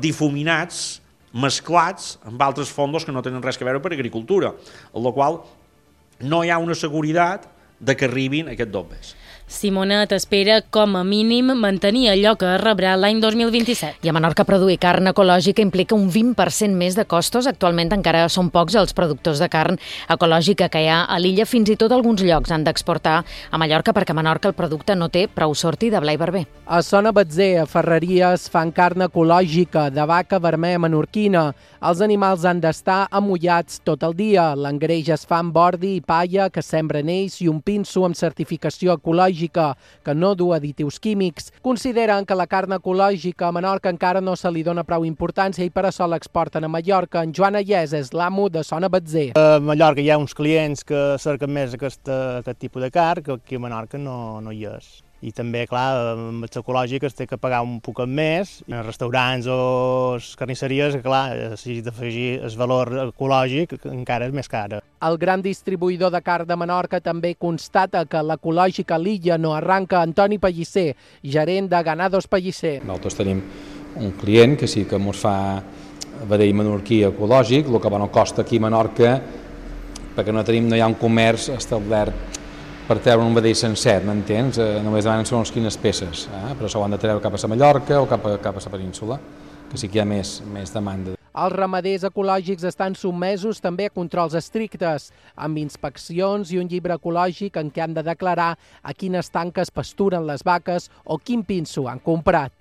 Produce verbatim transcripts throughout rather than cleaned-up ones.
difuminats, mesclats amb altres fondos que no tenen res a veure per agricultura, amb la qual no hi ha una seguretat de que arribin aquests bombers. Simonet espera, com a mínim, mantenir allò que rebrà l'any dos mil vint-i-set. I a Menorca produir carn ecològica implica un vint per cent més de costos. Actualment encara són pocs els productors de carn ecològica que hi ha a l'illa. Fins i tot alguns llocs han d'exportar a Mallorca perquè a Menorca el producte no té prou sortida. Blai Barber. A Sona Batzer, a Ferreries, fan carn ecològica de vaca vermella menorquina. Els animals han d'estar amullats tot el dia. L'engreix es fa amb ordi i palla que sembren ells i un pinso amb certificació ecològica que no du additius químics. Consideren que la carn ecològica a Menorca encara no se li dona prou importància i per això l'exporten a Mallorca. En Joan Ayés és l'amo de Sona Batzer. A Mallorca hi ha uns clients que cerquen més aquest, aquest tipus de carn, que aquí a Menorca no, no hi és. I també, clar, amb les ecològiques té que pagar un poc més. En restaurants o carnisseries, clar, si has d'afegir el valor ecològic, encara és més cara. El gran distribuïdor de carn de Menorca també constata que l'ecològica a l'illa no arranca. Antoni Pellicer, gerent de Ganados Pellicer. Nosaltres tenim un client que sí que ens fa vedell menorquí ecològic, el que no costa aquí a Menorca, perquè no tenim, no hi ha un comerç establert per treure un vedell sencer, m'entens? Eh, només demanen segons quines peces, eh? però això ho han de treure cap a la Mallorca o cap a, cap a la península, que sí que hi ha més, més demanda. Els ramaders ecològics estan sotmesos també a controls estrictes, amb inspeccions i un llibre ecològic en què han de declarar a quines tanques pasturen les vaques o quin pinso han comprat.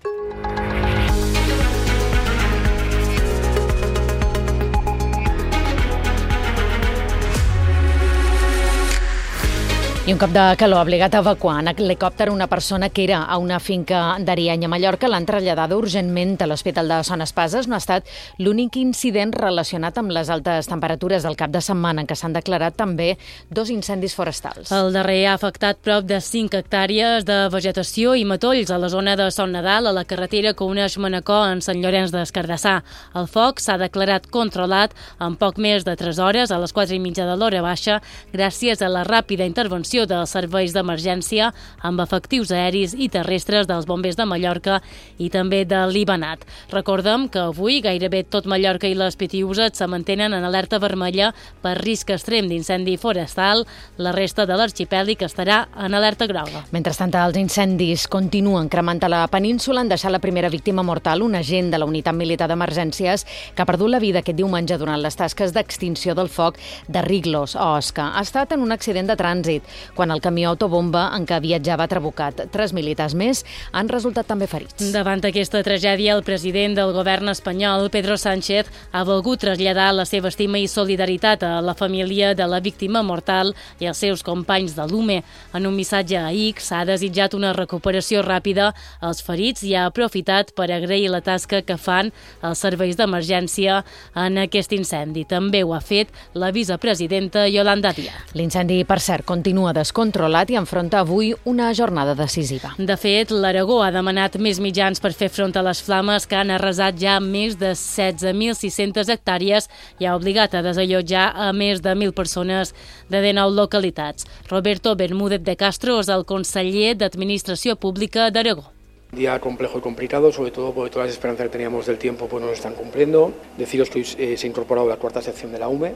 I un cop de calor ha obligat a evacuar en helicòpter una persona que era a una finca d'Ariany a Mallorca. L'han traslladada urgentment a l'Hospital de Son Espases. No ha estat l'únic incident relacionat amb les altes temperatures del cap de setmana, en què s'han declarat també dos incendis forestals. El darrer ha afectat prop de cinc hectàrees de vegetació i matolls a la zona de Son Nadal, a la carretera que uneix Manacor en Sant Llorenç des Cardassar. El foc s'ha declarat controlat en poc més de tres hores, a les quatre i mitja de l'hora baixa, gràcies a la ràpida intervenció dels serveis d'emergència amb efectius aeris i terrestres dels bombers de Mallorca i també de l'Ibanat. Recordem que avui gairebé tot Mallorca i les Pitiüses se mantenen en alerta vermella per risc extrem d'incendi forestal. La resta de l'arxipèlic estarà en alerta groga. Mentrestant, els incendis continuen cremant a la península. Han deixat la primera víctima mortal, un agent de la unitat militar d'emergències que ha perdut la vida aquest diumenge durant les tasques d'extinció del foc de Riglos, a Osca. Ha estat en un accident de trànsit, quan el camió autobomba en què viatjava ha trabucat. Tres militars més han resultat també ferits. Davant d'aquesta tragèdia, el president del govern espanyol, Pedro Sánchez, ha volgut traslladar la seva estima i solidaritat a la família de la víctima mortal i als seus companys de l'U M E. En un missatge a X ha desitjat una recuperació ràpida als ferits i ha aprofitat per agrair la tasca que fan els serveis d'emergència en aquest incendi. També ho ha fet la vicepresidenta Yolanda Díaz. L'incendi, per cert, continua descontrolat i enfronta avui una jornada decisiva. De fet, l'Aragó ha demanat més mitjans per fer front a les flames que han arrasat ja més de setze mil sis-centes hectàrees i ha obligat a desallotjar a més de mil persones de dinou localitats. Roberto Bermúdez de Castro és el conseller d'Administració Pública d'Aragó. Día complejo y complicado, sobre todo porque todas las esperanzas que teníamos del tiempo pues no se están cumpliendo. Deciros que hoy eh, se ha incorporado la cuarta sección de la U M E.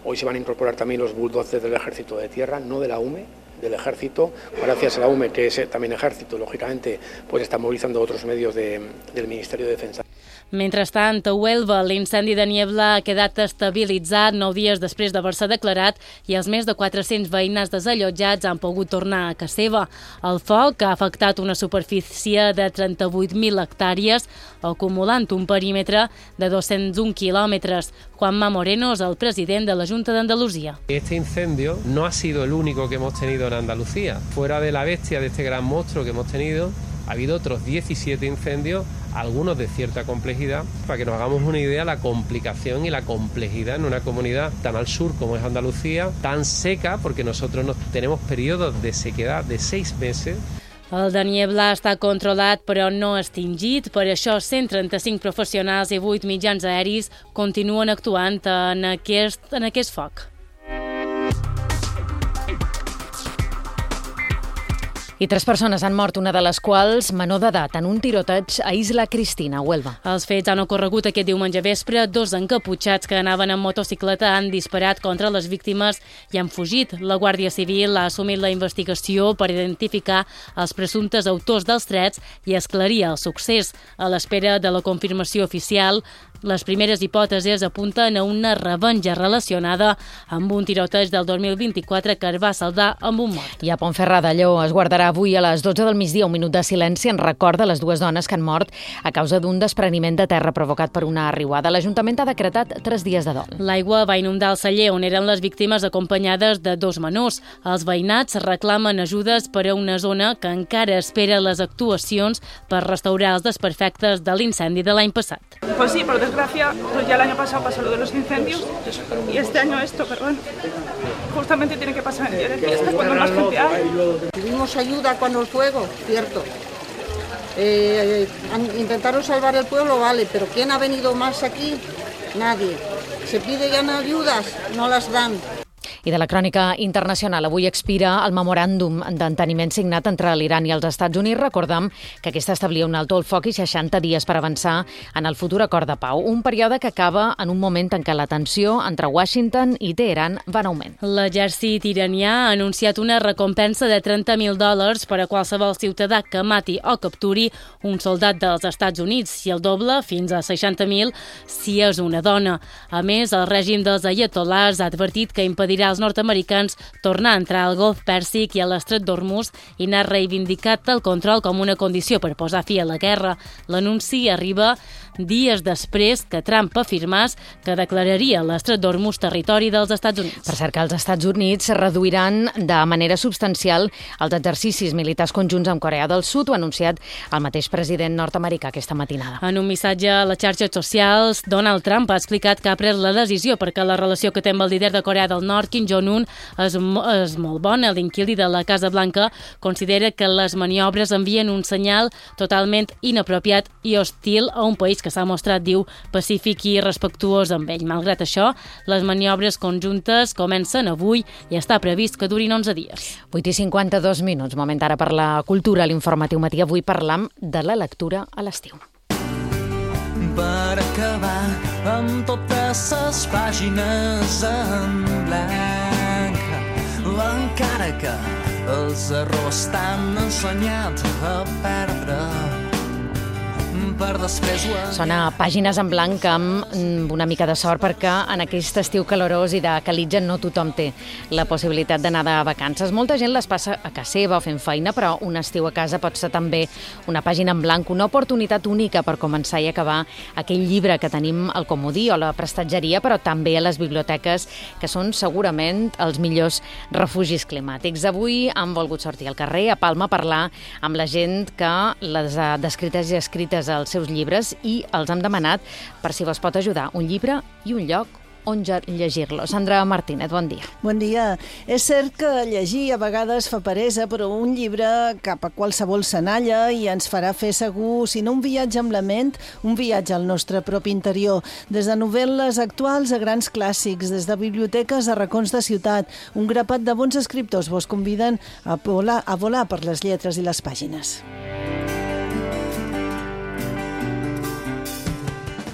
Hoy se van a incorporar también los bulldozers del Ejército de Tierra, no de la U M E, del Ejército. Gracias a la U M E, que es también Ejército, lógicamente, pues está movilizando otros medios de, del Ministerio de Defensa. Mentrestant, a Huelva, l'incendi de Niebla ha quedat estabilitzat nou dies després d'haver-se declarat i els més de quatre-cents veïnats desallotjats han pogut tornar a casa seva. El foc ha afectat una superfície de trenta-vuit mil hectàrees, acumulant un perímetre de dos-cents un quilòmetres. Juanma Moreno és el president de la Junta d'Andalusia. Este incendio no ha sido el único que hemos tenido en Andalucía. Fuera de la bestia de este gran monstruo que hemos tenido, ha habido otros diecisiete incendios, algunos de cierta complejidad. Para que nos hagamos una idea, la complicación y la complejidad en una comunidad tan al sur como es Andalucía, tan seca, porque nosotros nos, tenemos periodos de sequedad de seis meses. El de Niebla està controlat però no extingit, per això cent trenta-cinc professionals i vuit mitjans aeris continuen actuant en aquest, en aquest foc. I tres persones han mort, una de les quals menor d'edat, en un tiroteig a Isla Cristina, Huelva. Els fets han ocorregut aquest diumenge vespre. Dos encaputxats que anaven en motocicleta han disparat contra les víctimes i han fugit. La Guàrdia Civil ha assumit la investigació per identificar els presumptes autors dels trets i esclarir el succés. A l'espera de la confirmació oficial, les primeres hipòtesis apunten a una revenja relacionada amb un tiroteig del dos mil vint-i-quatre que es va saldar amb un mort. I a Pontferrada, Lleó, es guardarà avui a les dotze del migdia un minut de silenci en record de les dues dones que han mort a causa d'un despreniment de terra provocat per una riuada. L'Ajuntament ha decretat tres dies de dol. L'aigua va inundar el celler on eren les víctimes acompanyades de dos menors. Els veïnats reclamen ajudes per a una zona que encara espera les actuacions per restaurar els desperfectes de l'incendi de l'any passat. Pues sí, por desgracia, pues ya el año pasado pasó lo de los incendios y este año esto, pero bueno, justamente tiene que pasar en día de fiesta cuando más gente hay. Tuvimos ayuda cuando el fuego, cierto. Eh, intentaron salvar el pueblo, vale, pero ¿quién ha venido más aquí? Nadie. Se pide ya no ayudas, no las dan. I de la crònica internacional, avui expira el memoràndum d'enteniment signat entre l'Iran i els Estats Units. Recordem que aquest establia un alto al foc i seixanta dies per avançar en el futur acord de pau, un període que acaba en un moment en què la tensió entre Washington i Teheran va en augment. L'exèrcit iranià ha anunciat una recompensa de trenta mil dòlars per a qualsevol ciutadà que mati o capturi un soldat dels Estats Units i el doble, fins a seixanta mil, si és una dona. A més, el règim dels ayatollahs ha advertit que impedirà als nord-americans tornar a entrar al Golf Pèrsic i a l'Estret d'Hormuz i n'ha reivindicat el control com una condició per posar fi a la guerra. L'anunci arriba dies després que Trump afirmés que declararia l'Estret d'Hormuz territori dels Estats Units. Per cert, que els Estats Units reduiran de manera substancial els exercicis militars conjunts amb Corea del Sud, ho ha anunciat el mateix president nord-americà aquesta matinada. En un missatge a les xarxes socials, Donald Trump ha explicat que ha pres la decisió perquè la relació que té amb el líder de Corea del Nord, Kim Jong-un, és, és molt bona. L'inquili de la Casa Blanca considera que les maniobres envien un senyal totalment inapropiat i hostil a un país que s'ha mostrat, diu, pacífic i respectuós amb ell. Malgrat això, les maniobres conjuntes comencen avui i està previst que durin onze dies. vuit i cinquanta-dos minuts, moment ara per la cultura, l'informatiu matí. Avui parlam de la lectura a l'estiu. Per acabar amb totes les pàgines en blanc, encara que els errors t'han ensenyat a perdre, per després... Sona Pàgines en blanc amb una mica de sort, perquè en aquest estiu calorós i de calitja no tothom té la possibilitat d'anar de vacances. Molta gent les passa a casa seva fent feina, però un estiu a casa pot ser també una pàgina en blanc, una oportunitat única per començar i acabar aquell llibre que tenim al comodí o a la prestatgeria, però també a les biblioteques, que són segurament els millors refugis climàtics. Avui han volgut sortir al carrer, a Palma, a parlar amb la gent que les ha descrites i escrites als seus llibres i els hem demanat per si vos pot ajudar un llibre i un lloc on llegir-lo. Sandra Martínez, bon dia. Bon dia. És cert que llegir a vegades fa peresa, però un llibre cap a qualsevol senalla i ens farà fer segur, si no un viatge amb la ment, un viatge al nostre propi interior. Des de novel·les actuals a grans clàssics, des de biblioteques a racons de ciutat, un grapat de bons escriptors vos conviden a volar, a volar per les lletres i les pàgines.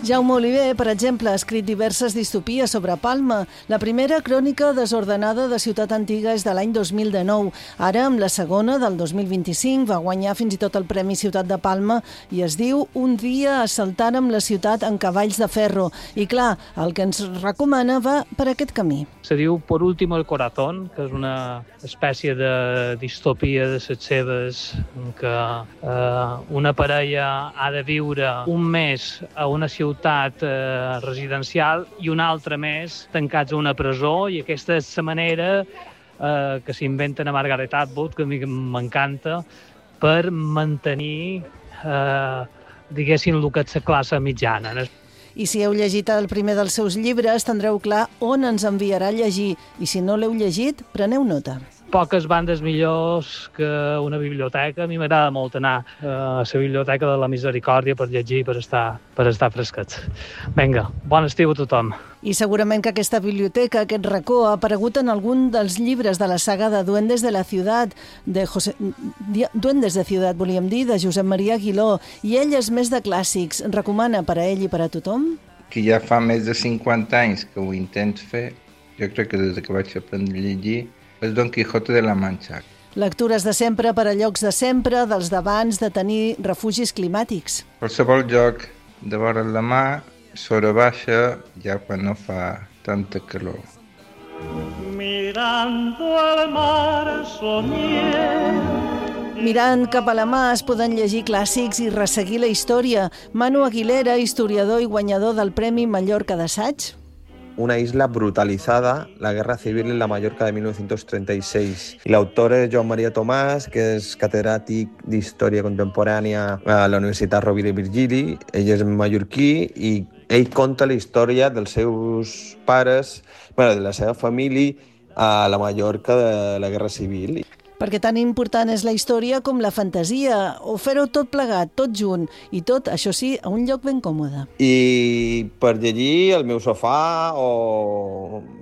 Jaume Oliver, per exemple, ha escrit diverses distopies sobre Palma. La primera, Crònica desordenada de Ciutat Antiga, és de l'any dos mil dinou. Ara, amb la segona, del dos mil vint-i-cinc, va guanyar fins i tot el Premi Ciutat de Palma i es diu Un dia assaltàrem la ciutat en cavalls de ferro. I clar, el que ens recomana va per aquest camí. Se diu Por último el corazón, que és una espècie de distopia de les seves, en què eh, una parella ha de viure un mes a una ciutat eh, residencial i un altre mes tancats a una presó, i aquesta és la manera eh, que s'inventen a Margaret Atwood, que a mi m'encanta, per mantenir, eh, diguéssim, el que és la classe mitjana. I si heu llegit el primer dels seus llibres, tindreu clar on ens enviarà a llegir. I si no l'heu llegit, preneu nota. poques bandes millors que una biblioteca. A mi m'agrada molt anar a la Biblioteca de la Misericòrdia per llegir, per estar, per estar fresquets. Vinga, bon estiu a tothom. I segurament que aquesta biblioteca, aquest racó, ha aparegut en algun dels llibres de la saga de Duendes de la Ciutat, de José... Duendes de Ciutat, volíem dir, de Josep Maria Aguiló, i ell és més de clàssics. Recomana per a ell i per a tothom? Que ja fa més de cinquanta anys que ho intento fer, jo crec que des que vaig aprendre a llegir, és Don Quijote de la Mancha. Lectures de sempre per a llocs de sempre, dels d'abans de tenir refugis climàtics. Qualsevol lloc de vora la mar, sora baixa, ja quan no fa tanta calor. Mirando al mar soñé. Mirant cap a la mà es poden llegir clàssics i resseguir la història. Manu Aguilera, historiador i guanyador del Premi Mallorca d'Assaig. Una isla brutalizada, la guerra civil en la Mallorca de mil novecientos treinta y seis. Y el autor es Joan Maria Tomàs, que és catedràtic d'Història Contemporània a la Universitat Rovira i Virgili. Ell és mallorquí i ell conta la història dels seus pares, bueno, de la seva família a la Mallorca de la guerra civil. Perquè tan important és la història com la fantasia, o fer-ho tot plegat, tot junt, i tot, això sí, a un lloc ben còmode. I per llegir al meu sofà o